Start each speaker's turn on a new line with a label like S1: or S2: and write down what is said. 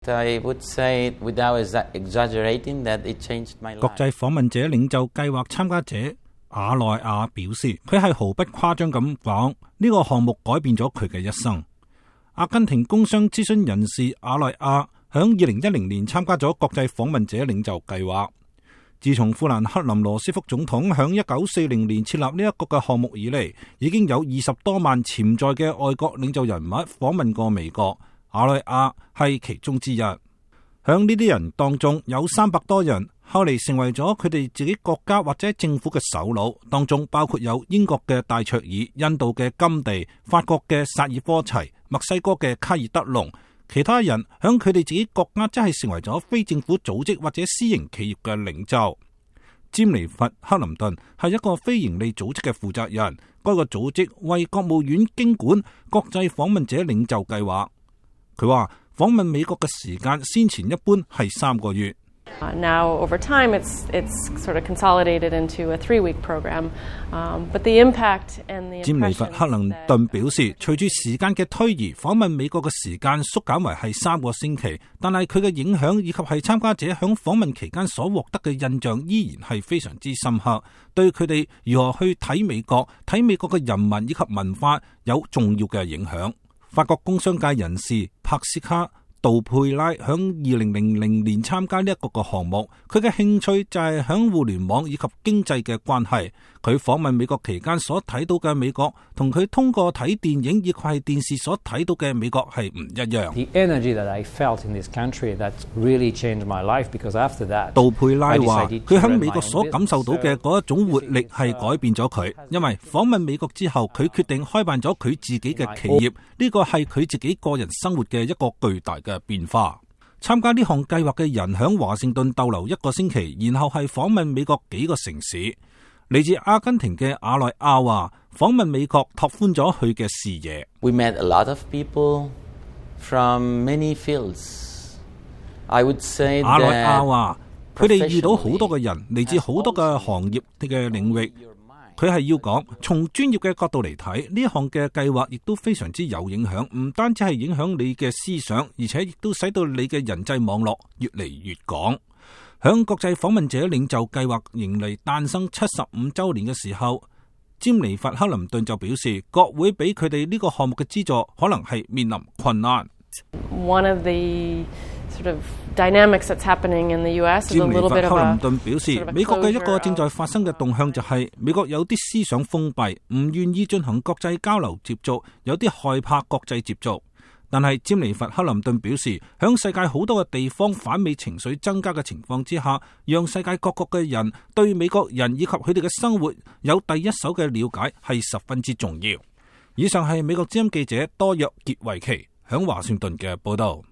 S1: I would say without exaggerating that it changed my life.
S2: 國際訪問者領袖計劃參加者阿內亞表示，佢係毫不誇張咁講，呢個項目改變咗佢嘅一生。阿根廷工商諮詢人士阿內亞響2010年參加咗國際訪問者領袖計劃。自從富蘭克林羅斯福總統響1940年設立呢一個嘅項目以嚟，已經有20多萬潛在嘅外國領袖人物訪問過美國。阿內亞係其中之一，響呢啲人當中有300多人後嚟成為咗佢哋自己國家或者政府嘅首腦，當中包括有英國嘅戴卓爾、印度嘅甘地、法國嘅薩爾科齊、墨西哥嘅卡爾德隆，其他人響佢哋自己國家真係成為咗非政府組織或者私營企業嘅領袖。詹尼弗克林頓係一個非營利組織嘅負責人，該個組織為國務院經管國際訪問者領袖計劃。佢話訪問美國嘅時間先前一般係3個月。
S3: Now over time, it's sort of consolidated into a 3-week program, but the impact and the
S2: 詹尼弗克林頓表示，隨住時間嘅推移，訪問美國嘅時間縮減為係3個星期，但係佢嘅影響以及係參加者響訪問期間所獲得嘅印象依然係非常之深刻，對佢哋如何去睇美國嘅人民以及文化有重要嘅影響。法國工商界人士帕斯卡杜佩拉響2000年參加呢一個項目，佢嘅興趣就係響互聯網以及經濟嘅關係。佢訪問美國期間所睇到嘅美國，同佢通過睇電影以及係電視所睇到嘅美國係唔一樣。
S4: The energy that I felt in this country that really changed my life because after that，
S2: 杜佩拉話佢響美國所感受到嘅嗰一種活力係改變咗佢，因為訪問美國之後，佢決定開辦咗佢自己嘅企業，呢個係佢自己個人生活嘅一個巨大嘅變化。參加呢項計劃嘅人響華盛頓逗留1個星期，然後係訪問美國幾個城市。嚟自阿根廷嘅阿內亞話，訪問美國拓寬咗佢嘅視野。
S1: We met a lot of people from many fields. I would say
S2: 阿內亞話，佢哋遇到好多嘅人，嚟自好多嘅行業嘅領域。佢係要講，從專業嘅角度嚟睇，呢一項嘅計劃亦都非常之有影響，唔單止係影響你嘅思想，而且亦都使到你嘅人際網絡越嚟越廣。響國際訪問者領袖計劃迎嚟誕生75週年嘅時候，詹尼弗克林頓就表示，國會俾佢哋呢個項目嘅資助可能係面臨困難。
S3: One of the sort of dynamics that's happening in the US is a little bit of a
S2: 克林頓表示，美國嘅一個正在發生嘅動向就係美國有啲思想封閉，唔願意進行國際交流接觸，有啲害怕國際接觸。但係詹尼弗克林頓表示，響世界好多嘅地方反美情緒增加嘅情況之下，讓世界各國嘅人對美國人以及佢哋嘅生活有第一手嘅了解係十分之重要。以上係美國之音記者多約傑維奇響華盛頓嘅報道。